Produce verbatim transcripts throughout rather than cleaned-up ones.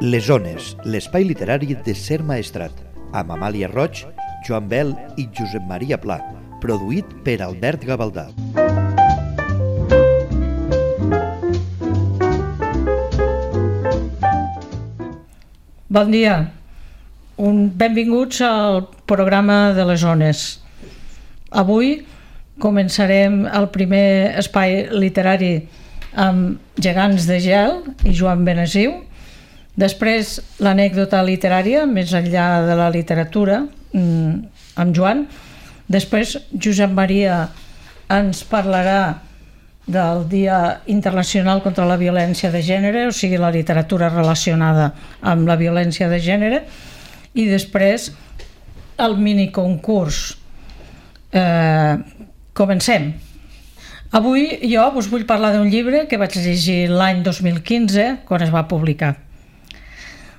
Les Ones, l'espai literari de Ser Maestrat, amb Amàlia Roig, Joan Bel i Josep Maria Pla, produït per Albert Gavaldà. Bon dia, Un, benvinguts al programa de les Ones. Avui començarem el primer espai literari amb Gegants de gel i Joan Benesiu, després l'anècdota literària, més enllà de la literatura, amb Joan, després Josep Maria ens parlarà del Dia Internacional contra la Violència de Gènere, o sigui, la literatura relacionada amb la violència de gènere, i després el miniconcurs. Eh, comencem. Avui jo us vull parlar d'un llibre que vaig llegir l'any dos mil quinze, quan es va publicar.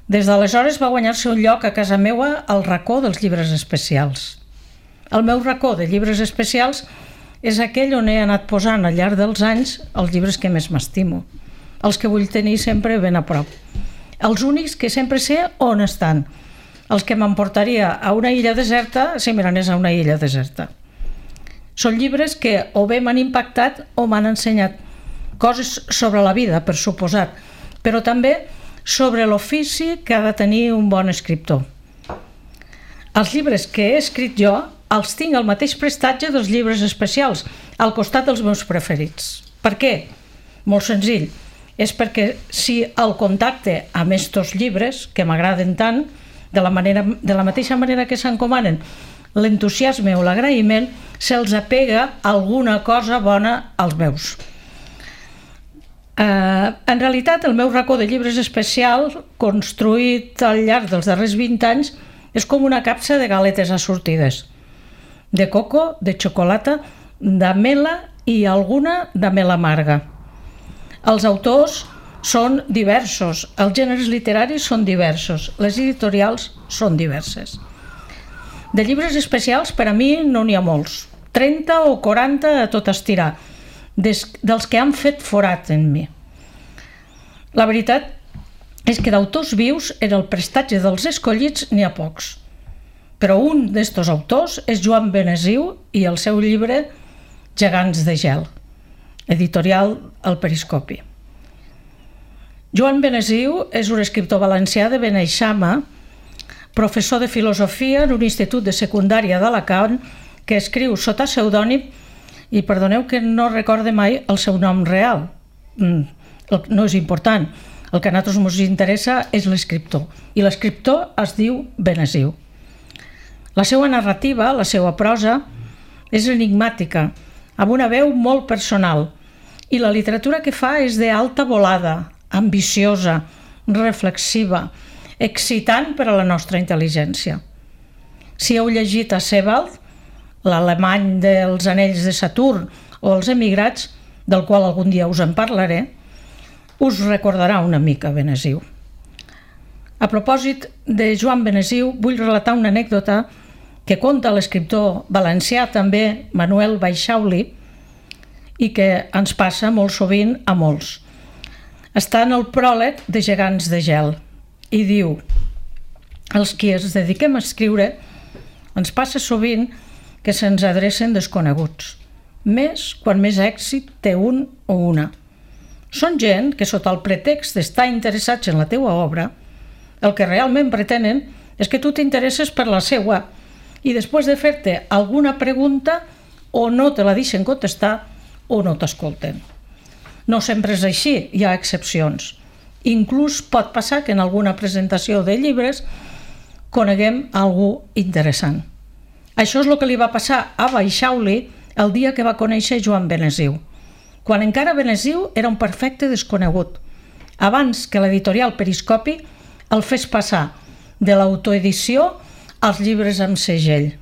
Des d'aleshores va guanyar-se un lloc a casa meua al racó dels llibres especials. El meu racó de llibres especials és aquell on he anat posant al llarg dels anys els llibres que més m'estimo, els que vull tenir sempre ben a prop, els únics que sempre sé on estan, els que m'emportaria a una illa deserta si me n'anés a una illa deserta. Són llibres que o bé m'han impactat o m'han ensenyat coses sobre la vida, per suposat, però també sobre l'ofici que ha de tenir un bon escriptor. Els llibres que he escrit jo els tinc al mateix prestatge dels llibres especials, al costat dels meus preferits. Per què? Molt senzill. És perquè si el contacte amb estos llibres, que m'agraden tant, de la, manera, de la mateixa manera que s'encomanen l'entusiasme o l'agraïment, se'ls apega alguna cosa bona als meus. Uh, en realitat, el meu racó de llibres especial, construït al llarg dels darrers vint anys, és com una capsa de galetes assortides, de coco, de xocolata, de mela i alguna de mel amarga. Els autors són diversos, els gèneres literaris són diversos, les editorials són diverses. De llibres especials, per a mi, no n'hi ha molts, trenta o quaranta a tot estirar, des, dels que han fet forat en mi. La veritat és que d'autors vius en el prestatge dels escollits n'hi ha pocs, però un d'estos autors és Joan Benesiu i el seu llibre Gegants de gel, editorial El Periscopi. Joan Benesiu és un escriptor valencià de Beneixama, professor de filosofia en un institut de secundària d'Alacant, que escriu sota pseudònim, i perdoneu que no recorde mai el seu nom real. No és important. El que a nosaltres ens interessa és l'escriptor, i l'escriptor es diu Benesiu. La seva narrativa, la seva prosa, és enigmàtica, amb una veu molt personal, i la literatura que fa és d'alta volada, ambiciosa, reflexiva, excitant per a la nostra intel·ligència. Si heu llegit a Sebald, l'alemany dels anells de Saturn o els emigrats, del qual algun dia us en parlaré, us recordarà una mica Benesiu. A propòsit de Joan Benesiu, vull relatar una anècdota que conta l'escriptor valencià també Manuel Baixauli i que ens passa molt sovint a molts. Està en el pròleg de Gegants de gel i diu: els qui ens dediquem a escriure ens passa sovint que se'ns adrecen desconeguts, més quan més èxit té un o una. Són gent que sota el pretext d'estar interessats en la teua obra, el que realment pretenen és que tu t'interesses per la seua i després de fer-te alguna pregunta o no te la deixen contestar o no t'escolten. No sempre és així, hi ha excepcions. Inclús pot passar que en alguna presentació de llibres coneguem algú interessant. Això és el que li va passar a Baixauli el dia que va conèixer Joan Benesiu, quan encara Benesiu era un perfecte desconegut, abans que l'editorial Periscopi el fes passar de l'autoedició als llibres amb segell.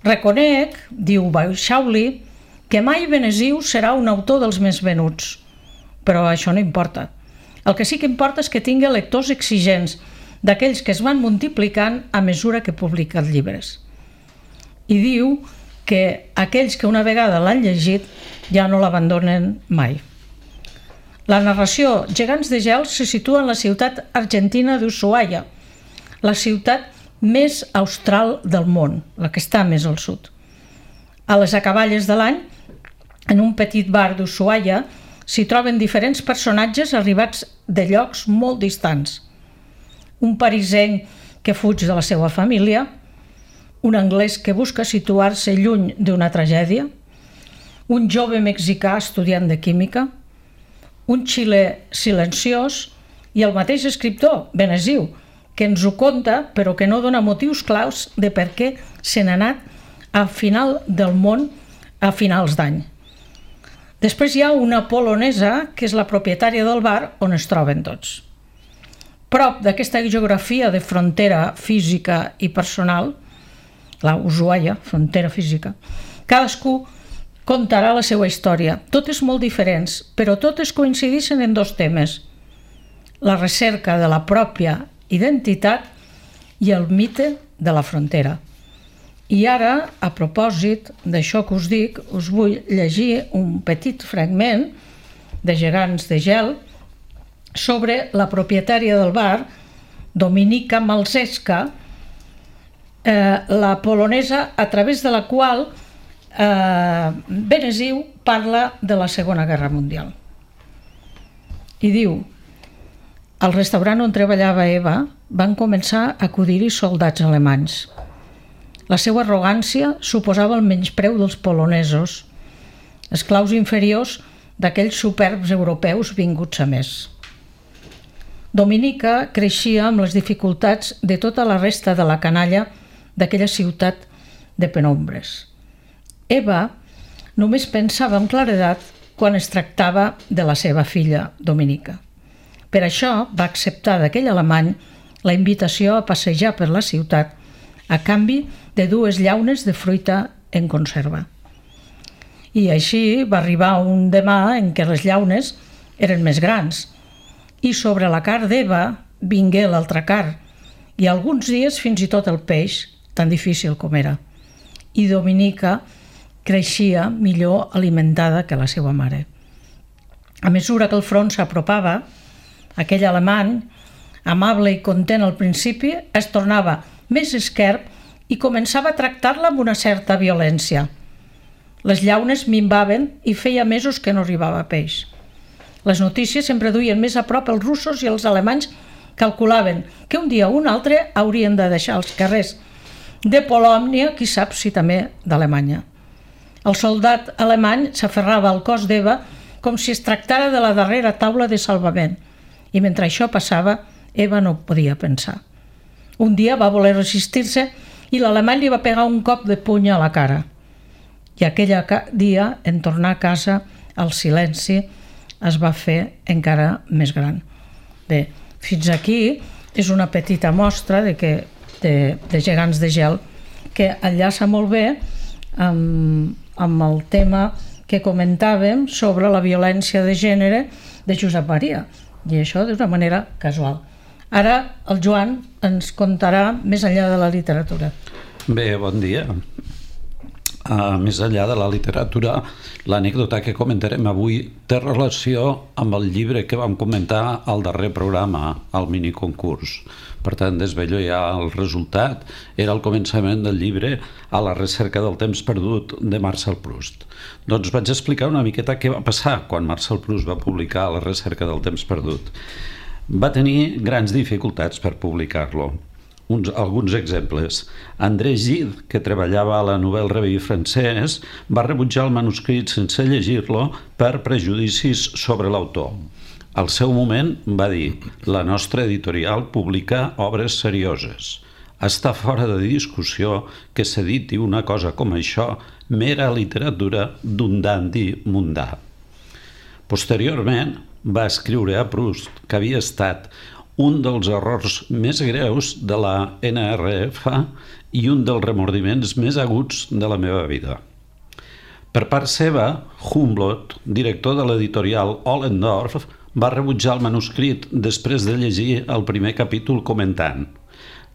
Reconec, diu Baixauli, que mai Benesiu serà un autor dels més venuts, però això no importa. El que sí que importa és que tingui lectors exigents, d'aquells que es van multiplicant a mesura que publiquen llibres. I diu que aquells que una vegada l'han llegit ja no l'abandonen mai. La narració Gegants de gel se situa en la ciutat argentina d'Ushuaia, la ciutat més austral del món, la que està més al sud. A les acaballes de l'any, en un petit bar d'Ushuaia, s'hi troben diferents personatges arribats de llocs molt distants. Un parisenc que fuig de la seva família, un anglès que busca situar-se lluny d'una tragèdia, un jove mexicà estudiant de química, un xilè silenciós i el mateix escriptor, Benesiu, que ens ho conta però que no dona motius claus de per què se n'ha anat a final del món a finals d'any. Després hi ha una polonesa que és la propietària del bar on es troben tots. Prop d'aquesta geografia de frontera física i personal, la Ushuaia, frontera física, cadascú contarà la seva història. Totes molt diferents, però totes coincideixen en dos temes: la recerca de la pròpia identitat i el mite de la frontera. I ara, a propòsit d'això que us dic, us vull llegir un petit fragment de Gegants de gel sobre la propietària del bar, Dominika Malzeska, eh, la polonesa a través de la qual eh, Benesiu parla de la Segona Guerra Mundial. I diu: al restaurant on treballava Eva van començar a acudir-hi soldats alemanys. La seva arrogància suposava el menyspreu dels polonesos, esclaus inferiors d'aquells superbs europeus vinguts a més. Dominika creixia amb les dificultats de tota la resta de la canalla d'aquella ciutat de penombres. Eva només pensava amb claredat quan es tractava de la seva filla, Dominika. Per això va acceptar d'aquell alemany la invitació a passejar per la ciutat a canvi de dues llaunes de fruita en conserva. I així va arribar un demà en què les llaunes eren més grans i sobre la carn d'Eva vingué l'altra carn i alguns dies fins i tot el peix, tan difícil com era. I Dominika creixia millor alimentada que la seva mare. A mesura que el front s'apropava, aquell alemany, amable i content al principi, es tornava més esquerp i començava a tractar-la amb una certa violència. Les llaunes minvaven i feia mesos que no arribava peix. Les notícies sempre duien més a prop els russos i els alemanys calculaven que un dia o un altre haurien de deixar els carrers de Polònia, qui sap si també d'Alemanya. El soldat alemany s'aferrava al cos d'Eva com si es tractara de la darrera taula de salvament i mentre això passava, Eva no podia pensar. Un dia va voler resistir-se i l'alemany li va pegar un cop de puny a la cara. I aquell dia, en tornar a casa, el silenci es va fer encara més gran. Bé, fins aquí és una petita mostra de, que, de, de Gegants de gel que enllaça molt bé amb, amb el tema que comentàvem sobre la violència de gènere de Josep Maria, i això d'una manera casual. Ara el Joan ens contarà més enllà de la literatura. Bé, bon dia. Uh, més enllà de la literatura, l'anècdota que comentarem avui té relació amb el llibre que vam comentar al darrer programa, al miniconcurs. Per tant, desvello ja el resultat. Era el començament del llibre A la recerca del temps perdut de Marcel Proust. Doncs vaig explicar una miqueta què va passar quan Marcel Proust va publicar A la recerca del temps perdut. Va tenir grans dificultats per publicar-lo. Uns, alguns exemples. André Gide, que treballava a la Nouvelle Revue francès, va rebutjar el manuscrit sense llegir-lo per prejudicis sobre l'autor. Al seu moment va dir: la nostra editorial publica obres serioses. Està fora de discussió que s'editi una cosa com això, mera literatura d'un dandi mundà. Posteriorment va escriure a Proust que havia estat un dels errors més greus de la N R F i un dels remordiments més aguts de la meva vida. Per part seva, Humboldt, director de l'editorial Ollendorf, va rebutjar el manuscrit després de llegir el primer capítol comentant: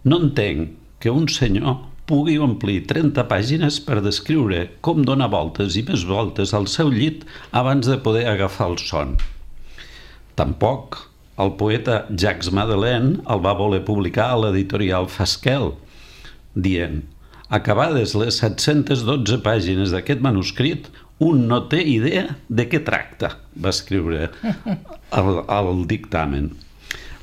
no entenc que un senyor pugui omplir trenta pàgines per descriure com dona voltes i més voltes al seu llit abans de poder agafar el son. Tampoc el poeta Jacques Madeleine el va voler publicar a l'editorial Fasquelle, dient: acabades les set-centes dotze pàgines d'aquest manuscrit, un no té idea de què tracta, va escriure al, al dictamen.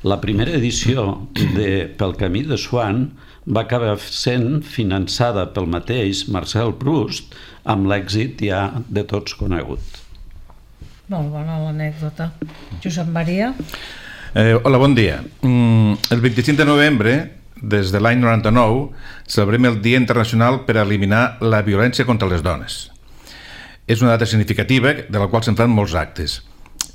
La primera edició de Pel camí de Swann va acabar sent finançada pel mateix Marcel Proust, amb l'èxit ja de tots conegut. Molt bona l'anècdota. Josep Maria? Eh, hola, bon dia. Mm, el vint-i-cinc de novembre, des de l'any noranta-nou, celebrem el Dia Internacional per eliminar la violència contra les dones. És una data significativa de la qual se'n fan molts actes.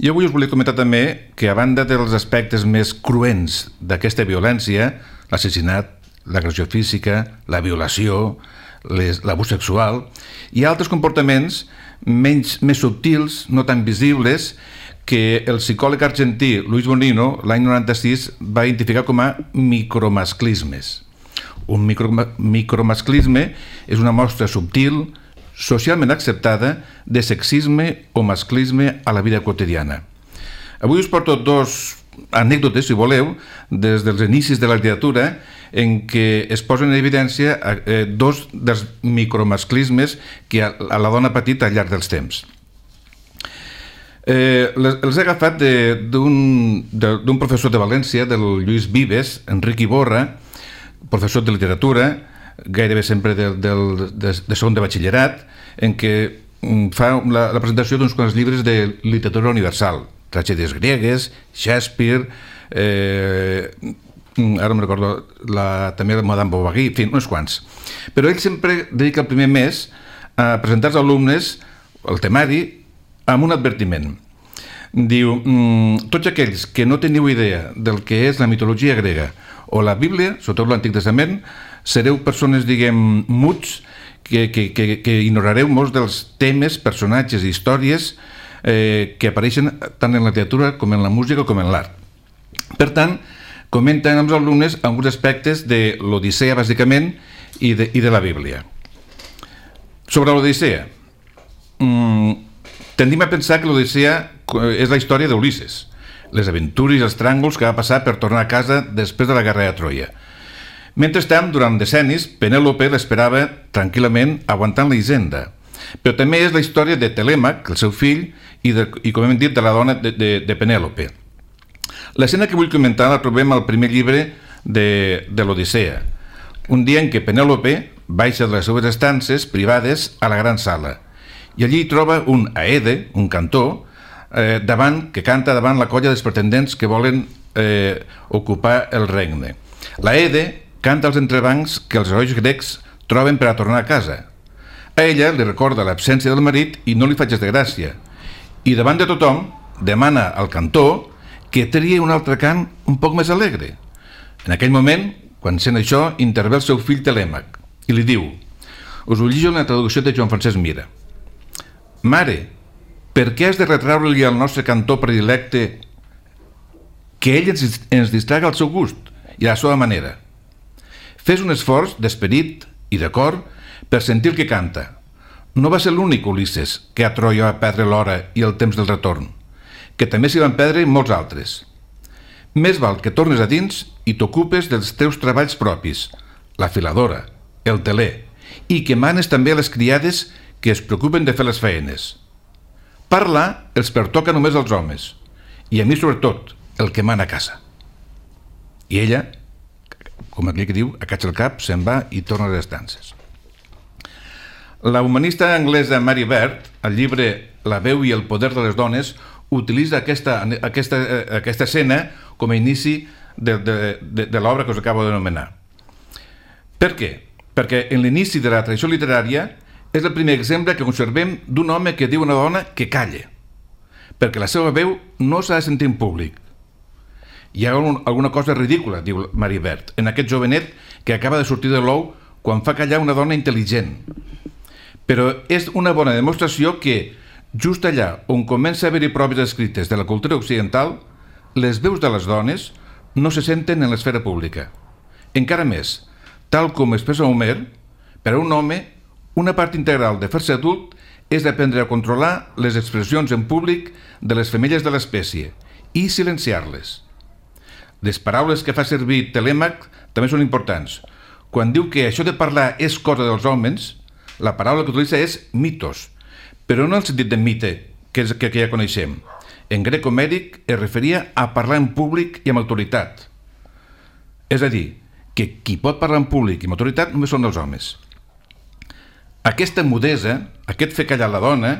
Jo avui us volia comentar també que, a banda dels aspectes més cruents d'aquesta violència, l'assassinat, l'agressió física, la violació, l'abús sexual, hi ha altres comportaments menys, més subtils, no tan visibles, que el psicòleg argentí Luis Bonino l'any noranta-sis va identificar com a micromasclismes. Un micro, micromasclisme és una mostra subtil, socialment acceptada, de sexisme o masclisme a la vida quotidiana. Avui us porto dos anècdotes, si voleu, des dels inicis de la literatura, en què es posen en evidència eh, dos dels micromasclismes que a, a la dona ha patit al llarg dels temps. Eh, les, els he agafat d'un professor de València, del Lluís Vives, Enric Iborra, professor de literatura, gairebé sempre de, de, de, de segon de batxillerat, en què fa la, la presentació d'uns quants llibres de literatura universal, tragèdies gregues, Shakespeare, eh, ara no me'n recordo, la, també la Madame Bovary, en fi, uns quants. Però ell sempre dedica el primer mes a presentar als alumnes el temari amb un advertiment. Diu, mmm, tots aquells que no teniu idea del que és la mitologia grega o la Bíblia, sobretot l'Antic Testament, sereu persones, diguem, muts, que, que, que, que ignorareu molts dels temes, personatges i històries eh, que apareixen tant en la literatura com en la música com en l'art. Per tant, comenten amb els alumnes alguns aspectes de l'Odissea, bàsicament, i de, i de la Bíblia. Sobre l'Odissea, mmm, tendim a pensar que l'Odissea és la història d'Ulisses, les aventures i els tràngols que va passar per tornar a casa després de la guerra de Troia. Mentrestant, durant decennis, Penèlope l'esperava tranquil·lament aguantant la hisenda. Però també és la història de Telèmac, el seu fill, i, de, i com hem dit, de la dona de, de, de Penèlope. L'escena que vull comentar la trobem al primer llibre de, de l'Odissea, un dia en què Penèlope baixa de les seves estances privades a la gran sala, i allí troba un Aede, un cantor, eh, davant, que canta davant la colla dels pretendents que volen eh, ocupar el regne. L'Aede canta als entrebancs que els herois grecs troben per a tornar a casa. A ella li recorda l'absència del marit i no li fa gens de gràcia. I davant de tothom demana al cantor que tria un altre cant un poc més alegre. En aquell moment, quan sent això, intervé el seu fill Telèmac i li diu, us ho llegeixo en la traducció de Joan Francesc Mira: Mare, per què has de retraure-li al nostre cantor predilecte que ell ens, ens distraga al seu gust i a la seva manera? Fes un esforç d'esperit i de cor per sentir el que canta. No va ser l'únic Ulisses que a Troia va perdre l'hora i el temps del retorn, que també s'hi van perdre molts altres. Més val que tornes a dins i t'ocupes dels teus treballs propis, la filadora, el teler, i que manes també a les criades que es preocupen de fer les feines. Parlar els pertoca només als homes, i a mi sobretot, el que mana a casa. I ella, com aquell que diu, acatxa el cap, se'n va i torna a les estances. La humanista anglesa Mary Beard, al llibre La veu i el poder de les dones, utilitza aquesta, aquesta, aquesta escena com a inici de, de, de, de l'obra que us acabo d'anomenar. Per què? Perquè en l'inici de la tradició literària és el primer exemple que conservem d'un home que diu a una dona que calle, perquè la seva veu no s'ha de sentir en públic. Hi ha un, alguna cosa ridícula, diu Mary Beard, en aquest jovenet que acaba de sortir de l'ou quan fa callar una dona intel·ligent. Però és una bona demostració que, just allà on comença a haver-hi proves escrites de la cultura occidental, les veus de les dones no se senten en l'esfera pública. Encara més, tal com expressa Homer, per a un home, una part integral de fer-se adult és aprendre a controlar les expressions en públic de les femelles de l'espècie i silenciar-les. Les paraules que fa servir Telèmac també són importants. Quan diu que això de parlar és cosa dels homes, la paraula que utilitza és mitos, però no en el sentit de mite, que, és, que, que ja coneixem. En grec homèric es referia a parlar en públic i amb autoritat. És a dir, que qui pot parlar en públic i amb autoritat només són els homes. Aquesta mudesa, aquest fer callar la dona,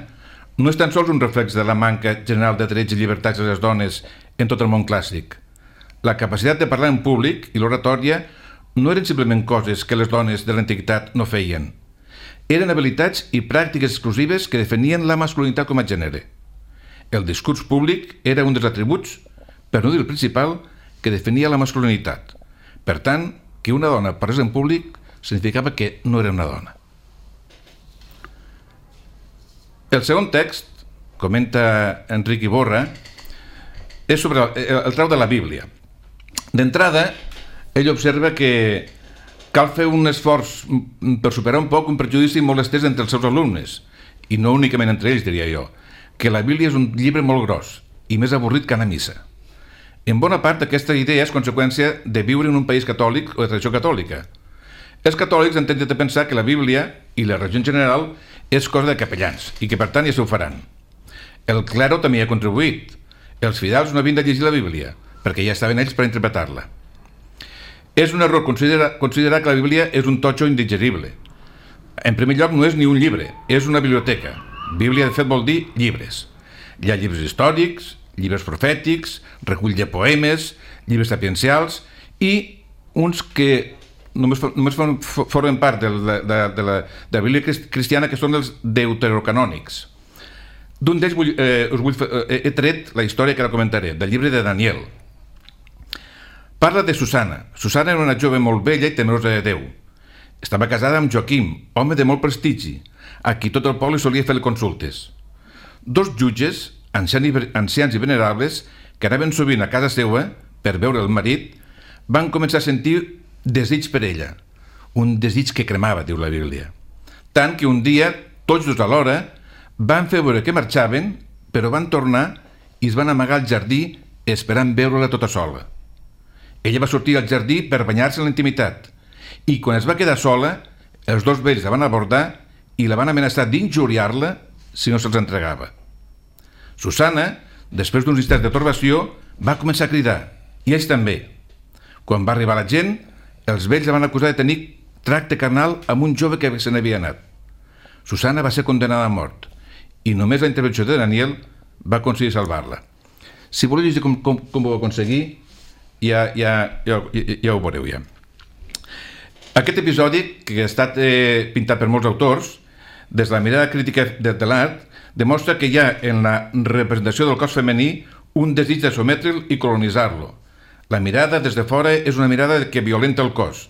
no és tan sols un reflex de la manca general de drets i llibertats de les dones en tot el món clàssic. La capacitat de parlar en públic i l'oratòria no eren simplement coses que les dones de l'antiguitat no feien. Eren habilitats i pràctiques exclusives que definien la masculinitat com a gènere. El discurs públic era un dels atributs, per no dir el principal, que definia la masculinitat. Per tant, que una dona parlés en públic significava que no era una dona. El segon text, comenta Enric Iborra, és sobre el, el trau de la Bíblia. D'entrada, ell observa que cal fer un esforç per superar un poc un prejudici molt estès entre els seus alumnes, i no únicament entre ells, diria jo, que la Bíblia és un llibre molt gros i més avorrit que anar a missa. En bona part, aquesta idea és conseqüència de viure en un país catòlic o de tradició catòlica. Els catòlics han tentat a pensar que la Bíblia i la religió en general és cosa de capellans i que per tant ja s'ho faran. El clero també hi ha contribuït. Els fidels no havien de llegir la Bíblia perquè ja estaven ells per interpretar-la. És un error considerar, considerar que la Bíblia és un totxo indigerible. En primer lloc, no és ni un llibre, és una biblioteca. Bíblia, de fet, vol dir llibres. Hi ha llibres històrics, llibres profètics, recull de poemes, llibres sapiencials i uns que només, només formen part de la, de, de, la, de la Bíblia cristiana, que són els deuterocanònics. D'un d'ells vull, eh, us vull, eh, he tret la història que ara comentaré, del llibre de Daniel. Parla de Susana. Susana era una jove molt bella i temerosa de Déu. Estava casada amb Joaquim, home de molt prestigi, a qui tot el poble solia fer consultes. Dos jutges, ancians i venerables, que anaven sovint a casa seva per veure el marit, van començar a sentir desig per ella, un desig que cremava, diu la Bíblia. Tant que un dia, tots dos alhora, van fer veure que marxaven, però van tornar i es van amagar al jardí esperant veure-la tota sola. Ella va sortir al jardí per banyar-se en la intimitat i quan es va quedar sola, els dos vells la van abordar i la van amenaçar d'injuriar-la si no se'ls entregava. Susana, després d'uns instants de torbació, va començar a cridar, i ells també. Quan va arribar la gent, els vells la van acusar de tenir tracte carnal amb un jove que se n'havia anat. Susana va ser condenada a mort i només la intervenció de Daniel va aconseguir salvar-la. Si voleu llegir com, com, com ho va aconseguir, ja, ja, ja, ja, ja ho veureu ja. Aquest episodi, que ha estat eh, pintat per molts autors, des de la mirada crítica de, de l'art, demostra que hi ha en la representació del cos femení un desig de sometre'l i colonitzar-lo. La mirada des de fora és una mirada que violenta el cos.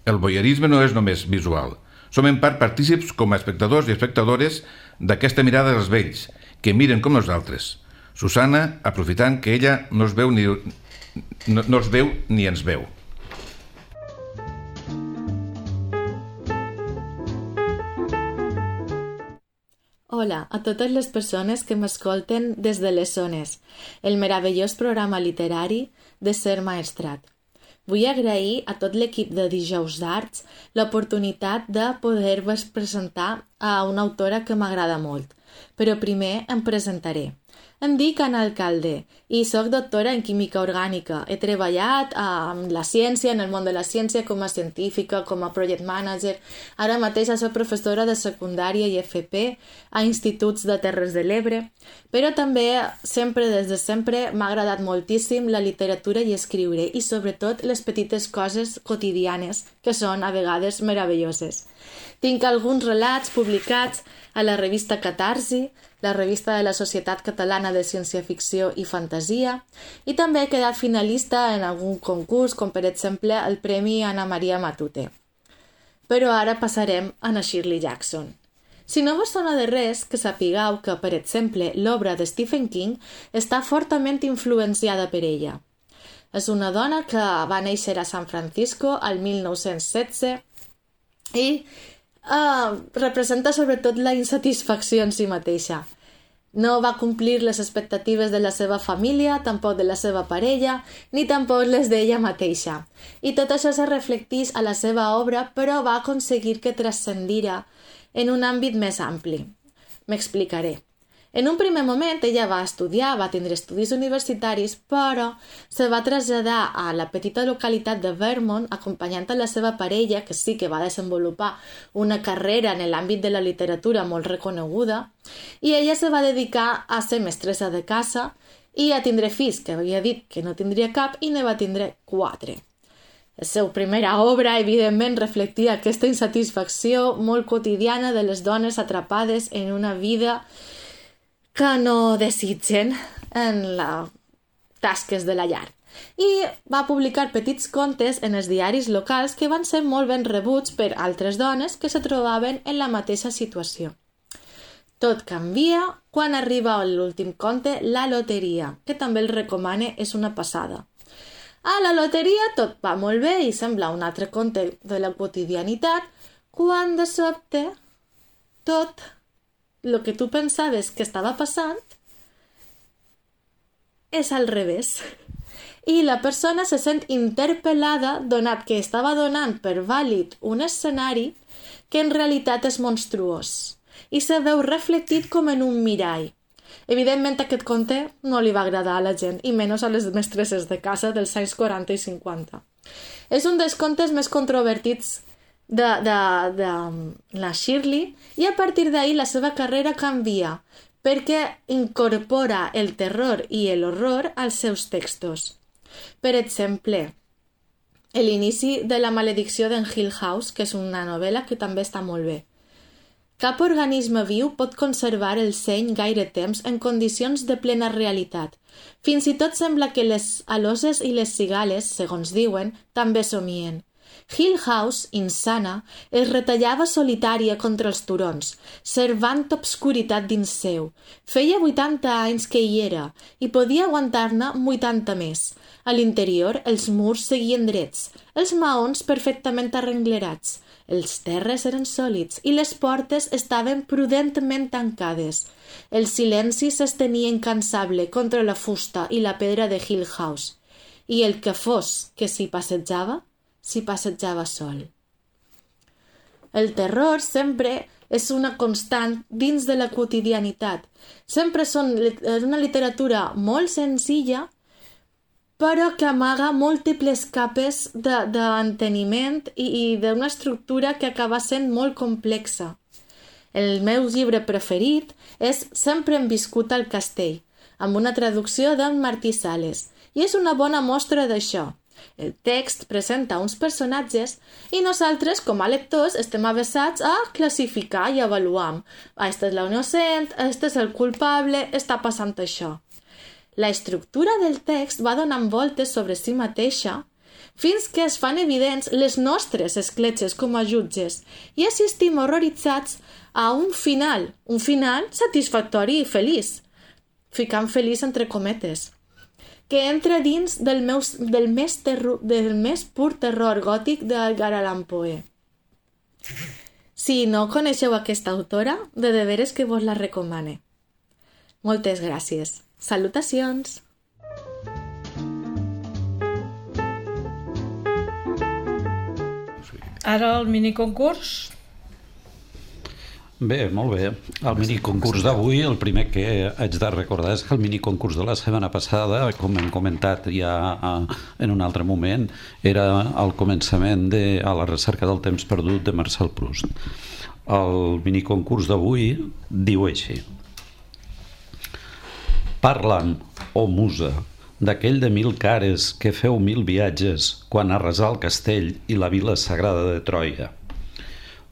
El voyeurisme no és només visual. Som en part partícips com a espectadors i espectadores d'aquesta mirada dels vells, que miren com nosaltres. Susana, aprofitant que ella no es veu ni, no, no es veu ni ens veu. Hola a totes les persones que m'escolten des de les zones, el meravellós programa literari de Ser Maestrat. Vull agrair a tot l'equip de Dijous d'Arts l'oportunitat de poder-vos presentar a una autora que m'agrada molt, però primer em presentaré. Em dic Anna Alcalde i soc doctora en química orgànica. He treballat amb la ciència, en el món de la ciència, com a científica, com a project manager. Ara mateix soc professora de secundària i F P a instituts de Terres de l'Ebre, però també, sempre des de sempre, m'ha agradat moltíssim la literatura i escriure, i sobretot les petites coses quotidianes, que són a vegades meravelloses. Tinc alguns relats publicats a la revista Catarsi, la revista de la Societat Catalana de Ciència-Ficció i Fantasia, i també he quedat finalista en algun concurs, com per exemple el Premi Anna Maria Matute. Però ara passarem a na Shirley Jackson. Si no vos sona de res, que sapigueu que, per exemple, l'obra de Stephen King està fortament influenciada per ella. És una dona que va néixer a San Francisco al mil nou-cents setze i Uh, representa sobretot la insatisfacció en si mateixa. No va complir les expectatives de la seva família, tampoc de la seva parella, ni tampoc les d'ella mateixa. I tot això se reflecteix a la seva obra, però va aconseguir que transcendira en un àmbit més ampli. M'explicaré. En un primer moment ella va estudiar, va tindre estudis universitaris, però se va traslladar a la petita localitat de Vermont acompanyant a la seva parella, que sí que va desenvolupar una carrera en l'àmbit de la literatura molt reconeguda, i ella se va dedicar a ser mestressa de casa i a tindre fills, que havia dit que no tindria cap, i ne va tindre quatre. La seva primera obra, evidentment, reflectia aquesta insatisfacció molt quotidiana de les dones atrapades en una vida que no desitgen en les tasques de la llar. I va publicar petits contes en els diaris locals que van ser molt ben rebuts per altres dones que se trobaven en la mateixa situació. Tot canvia quan arriba l'últim conte, La loteria, que també el recomane, és una passada. A la loteria tot va molt bé i sembla un altre conte de la quotidianitat, quan de sobte tot el que tu pensaves que estava passant és al revés. I la persona se sent interpel·lada donat que estava donant per vàlid un escenari que en realitat és monstruós i se veu reflectit com en un mirall. Evidentment aquest conte no li va agradar a la gent, i menys a les mestresses de casa dels anys quaranta i cinquanta. És un dels contes més controvertits de, de, de la Shirley, i a partir d'ahir la seva carrera canvia perquè incorpora el terror i l'horror als seus textos. Per exemple, l'inici de La maledicció d'en Hill House, que és una novel·la que també està molt bé. Cap organisme viu pot conservar el seny gaire temps en condicions de plena realitat. Fins i tot sembla que les aloses i les cigales, segons diuen, també somien. Hill House, insana, es retallava solitària contra els turons, servant obscuritat dins seu. Feia vuitanta anys que hi era i podia aguantar-ne vuitanta més. A l'interior els murs seguien drets, els maons perfectament arrenglerats, els terres eren sòlids i les portes estaven prudentment tancades. El silenci s'estenia incansable contra la fusta i la pedra de Hill House, i el que fos que s'hi passejava, s'hi passejava sol. El terror sempre és una constant dins de la quotidianitat. Sempre són una literatura molt senzilla, però que amaga múltiples capes d'enteniment i, i d'una estructura que acaba sent molt complexa. El meu llibre preferit és Sempre hem viscut al castell, amb una traducció d'en Martí Sales, i és una bona mostra d'això. El text presenta uns personatges i nosaltres, com a lectors, estem avesats a classificar i avaluar. Aquesta és la innocent, este és el culpable, està passant això. La estructura del text va donant voltes sobre si mateixa fins que es fan evidents les nostres escletxes com a jutges i assistim horroritzats a un final, un final satisfactori i feliç, ficant feliç entre cometes, que entra dins del, meus, del, més, terror, del més pur terror gòtic d'Edgar Allan Poe. Si no coneixeu aquesta autora, de deberes que vos la recomane. Moltes gràcies. Salutacions! Ara el miniconcurs. Bé, molt bé. El miniconcurs d'avui, el primer que haig de recordar és que el miniconcurs de la setmana passada, com hem comentat ja en un altre moment, era el començament de A la recerca del temps perdut de Marcel Proust. El miniconcurs d'avui diu així: Parla'm, oh musa, d'aquell de mil cares que feu mil viatges quan arrasà el castell i la vila sagrada de Troia.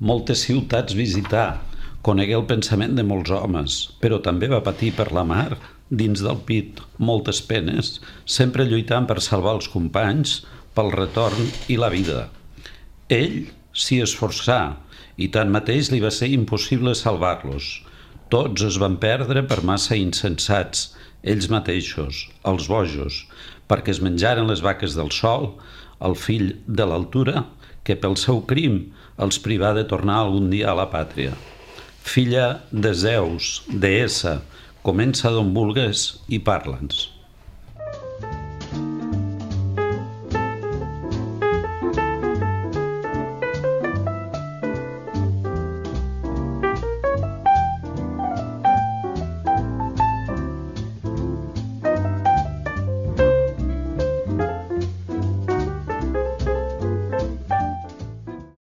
Moltes ciutats visità, conegué el pensament de molts homes, però també va patir per la mar, dins del pit, moltes penes, sempre lluitant per salvar els companys, pel retorn i la vida. Ell s'hi esforçà i tanmateix li va ser impossible salvar-los. Tots es van perdre per massa insensats, ells mateixos, els bojos, perquè es menjaren les vaques del sol, el fill de l'altura, que pel seu crim els privà de tornar algun dia a la pàtria. Filla de Zeus, deessa, comença d'on vulgues i parla'ns.